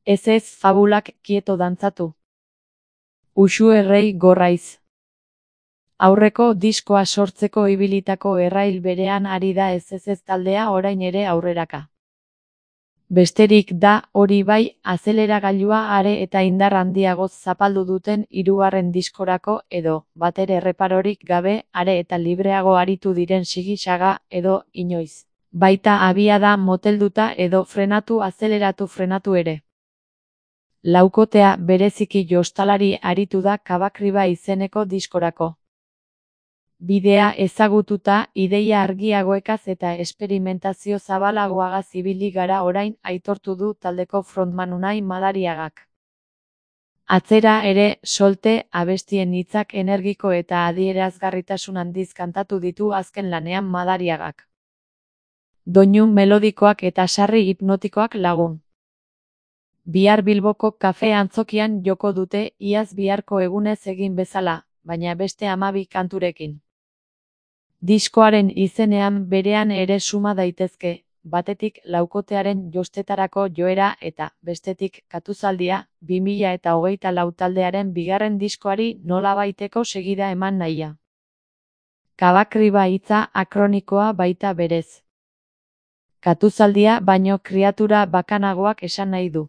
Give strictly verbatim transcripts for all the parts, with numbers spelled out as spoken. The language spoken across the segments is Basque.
Ez ez fabulak kieto dantzatu. Uxu errei gorraiz. Aurreko diskoa sortzeko ibilitako errail berean ari da ez ez ez taldea orain ere aurreraka. Besterik da, hori bai, azeleragailua are eta indar handiagoz zapaldu duten hirugarren diskorako edo, batere erreparorik gabe, are eta libreago aritu diren sigi-saga edo, inoiz. Baita abiada motelduta edo frenatu azeleratu frenatu ere. Laukotea bereziki jostalari aritu da Kabakriba izeneko diskorako. Bidea ezagututa, ideia argiagoekaz eta esperimentazio zabalagoagaz ibili gara orain aitortu du taldeko frontman Unai Madariagak. Atzera ere, solte, abestien hitzak energiko eta adierazgarritasun handiz kantatu ditu azken lanean Madariagak. Doinu melodikoak eta sarri hipnotikoak lagun. Bihar Bilboko kafe antzokian joko dute iaz biharko egunez egin bezala, baina beste hamabi kanturekin. Diskoaren izenean berean ere suma daitezke, batetik laukotearen jostetarako joera eta, bestetik, katuzaldia, bi mila eta hogeita lau taldearen bigarren diskoari nolabaiteko segida eman nahia. Kabakriba hitza akronikoa baita berez. Katuzaldia baino kriatura bakanagoak esan nahi du.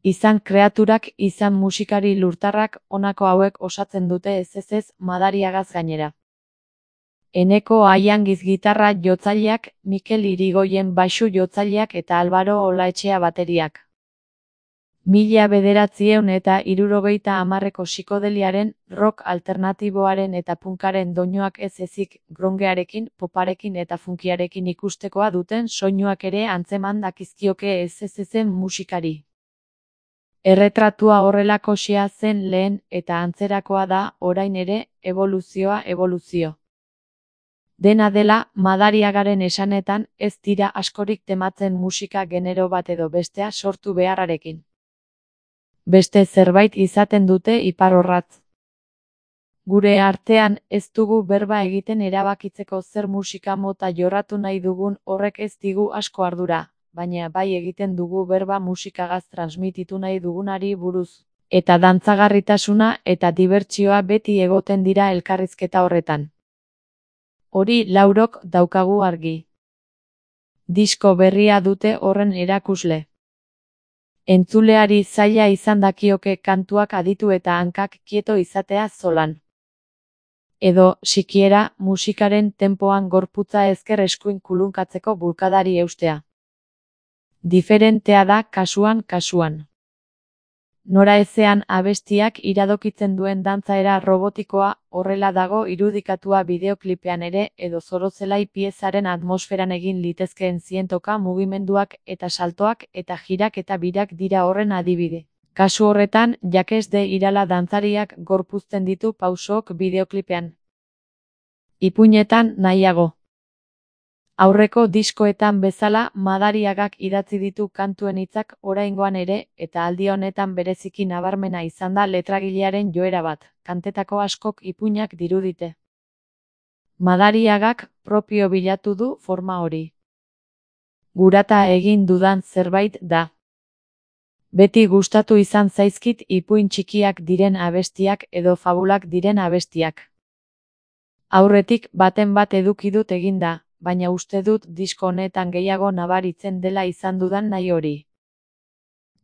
Izan kreaturak, izan musikari lurtarrak, honako hauek osatzen dute ez ez ez Madariagaz gainera. Eneko Aiangiz gitarra jotzaileak, Mikel Irigoyen baxu jotzaileak eta Albaro Olaetxea bateriak. Mila bederatzieun eta hirurogeita hamarreko psikodeliaren, rock alternatiboaren eta punkaren doinuak ez ezik, grongearekin, poparekin eta funkiarekin ikustekoa duten soinuak ere antzeman dakizkioke ez ez ezen musikari. Erretratua horrelakoxea zen lehen eta antzerakoa da, orain ere, eboluzioa eboluzio. Dena dela, Madariagaren esanetan, ez dira askorik tematzen musika genero bat edo bestea sortu beharrarekin. Beste zerbait izaten dute iparorratz. Gure artean, ez dugu berba egiten erabakitzeko zer musika mota jorratu nahi dugun horrek ez digu asko ardura, baina bai egiten dugu berba musikagaz transmititu nahi dugunari buruz. Eta dantzagarritasuna eta dibertsioa beti egoten dira elkarrizketa horretan. Hori laurok daukagu argi. Disko berria dute horren erakusle. Entzuleari zaila izan dakioke kantuak aditu eta hankak kieto izatea zolan. Edo, sikiera, musikaren tempoan gorputza ezker eskuin kulunkatzeko bulkadari eustea. Diferentea da kasuan kasuan. Nora ezean abestiak iradokitzen duen dantzaera robotikoa, horrela dago irudikatua bideoklipean ere edo zorozelai piezaren atmosferan egin litezkeen zientoka mugimenduak eta saltoak eta jirak eta birak dira horren adibide. Kasu horretan, Jakes de Irala dantzariak gorpuzten ditu pausook bideoklipean. Ipuinetan nahiago. Aurreko diskoetan bezala, Madariagak idatzi ditu kantuen hitzak oraingoan ere, eta aldi honetan bereziki nabarmena izan da letragilearen joera bat, kantetako askok ipuinak dirudite. Madariagak propio bilatu du forma hori. Gurata egin dudan zerbait da. Beti gustatu izan zaizkit ipuin txikiak diren abestiak edo fabulak diren abestiak. Aurretik baten bat eduki dut eginda, baina uste dut disko honetan gehiago nabaritzen dela izan dudan nahi hori.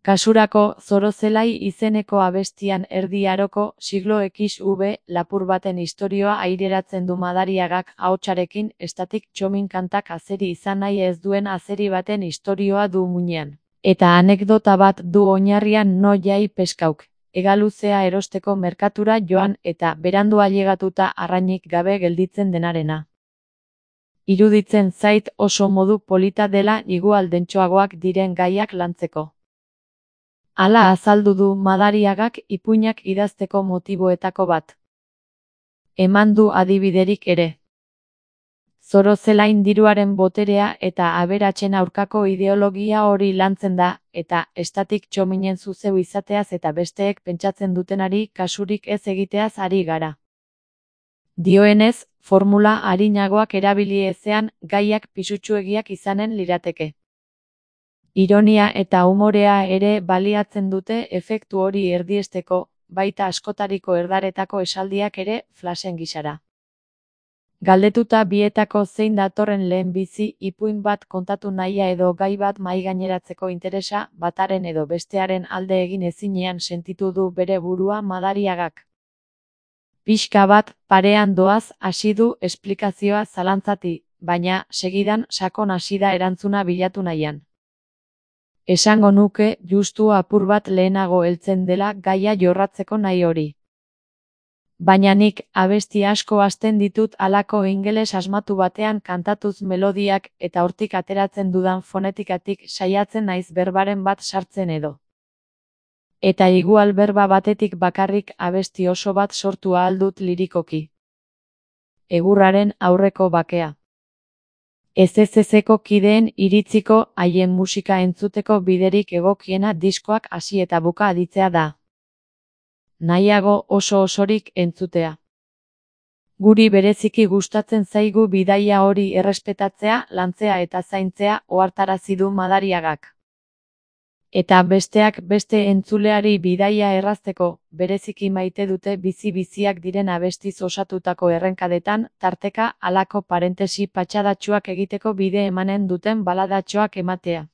Kasurako, Zorozelai izeneko abestian erdi aroko, siglo ekiz ube, lapur baten istorioa aireratzen du Madariagak ahotsarekin, estatik txomin kantak azeri izan nahi ez duen azeri baten istorioa du muinean. Eta anekdota bat du oinarrian no jai peskauk, hegaluzea erosteko merkatura joan eta berandu ailegatuta arrainik gabe gelditzen denarena. Iruditzen zait oso modu polita dela igualdentxoagoak diren gaiak lantzeko. Hala azaldu du Madariagak ipuinak idazteko motiboetako bat. Eman du adibiderik ere. Zorozelain diruaren boterea eta aberatsen aurkako ideologia hori lantzen da, eta estatik txominen zuzeu izateaz eta besteek pentsatzen dutenari kasurik ez egiteaz ari gara. Dioenez, formula arinagoak erabili ezean, gaiak pisutsuegiak izanen lirateke. Ironia eta umorea ere baliatzen dute efektu hori erdiesteko, baita askotariko erdaretako esaldiak ere flashen gisara. Galdetuta bietako zein datorren lehenbizi ipuin bat kontatu nahia edo gai bat mahaigaineratzeko interesa bataren edo bestearen alde egin ezinean sentitu du bere burua Madariagak. Pixka bat parean doaz hasi du esplikazioa zalantzati, baina segidan sakon hasi da erantzuna bilatu nahian. Esango nuke justu apur bat lehenago heltzen dela gaia jorratzeko nahi hori. Baina nik abesti asko hasten ditut halako ingeles asmatu batean kantatuz melodiak eta hortik ateratzen dudan fonetikatik saiatzen naiz berbaren bat sartzen edo. Eta igual berba batetik bakarrik abesti oso bat sortu ahal dut lirikoki. Egurraren aurreko bakea. Ez ez ezeko kideen iritziko haien musika entzuteko biderik egokiena diskoak hasi eta buka aditzea da. Nahiago oso osorik entzutea. Guri bereziki gustatzen zaigu bidaia hori errespetatzea, lantzea eta zaintzea ohartarazi du Madariagak. Eta besteak beste entzuleari bidaia errazteko, bereziki maite dute bizi-biziak diren abestiz osatutako errenkadetan, tarteka halako parentesi patxadatsuak egiteko bide emanen duten baladatxoak ematea.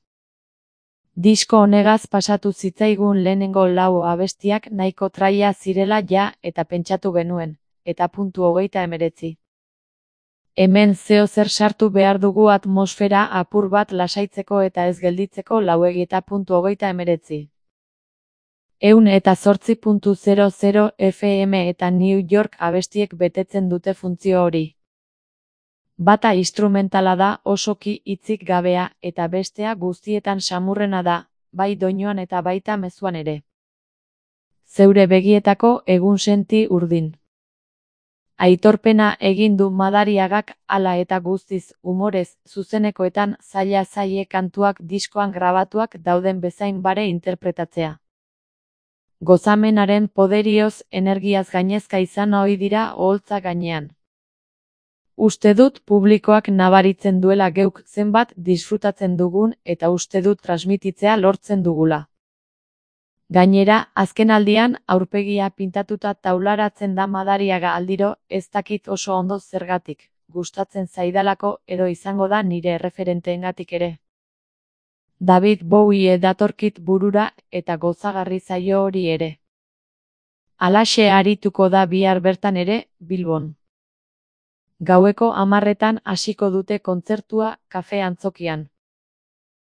Disko honegaz pasatu zitzaigun lehenengo lau abestiak nahiko traia zirela ja eta pentsatu genuen, eta puntu hogeita hemeretzi. Hemen zeozer sartu behar dugu atmosfera apur bat lasaitzeko eta ez gelditzeko lauegi eta puntu hogeita hemeretzi. Ehun eta zortzi puntu zero zero F M eta New York abestiek betetzen dute funtzio hori. Bata instrumentala da osoki hitzik gabea eta bestea guztietan samurrena da, bai doinuan eta baita mezuan ere. Zeure begietako egun senti urdin. Aitorpena egin du Madariagak hala eta guztiz umorez zuzenekoetan zaila zaie kantuak diskoan grabatuak dauden bezain bare interpretatzea. Gozamenaren poderioz energiaz gainezka izan ohi dira oholtza gainean. Uste dut publikoak nabaritzen duela geuk zenbat disfrutatzen dugun eta uste dut transmititzea lortzen dugula. Gainera, azkenaldian aurpegia pintatuta taularatzen da Madariaga aldiro, ez dakit oso ondo zergatik, gustatzen zaidalako edo izango da nire erreferenteengatik ere. David Bowie datorkit burura eta gozagarri zaio hori ere. Halaxe arituko da bihar bertan ere, Bilbon. Gaueko hamarretan hasiko dute kontzertua kafe antzokian.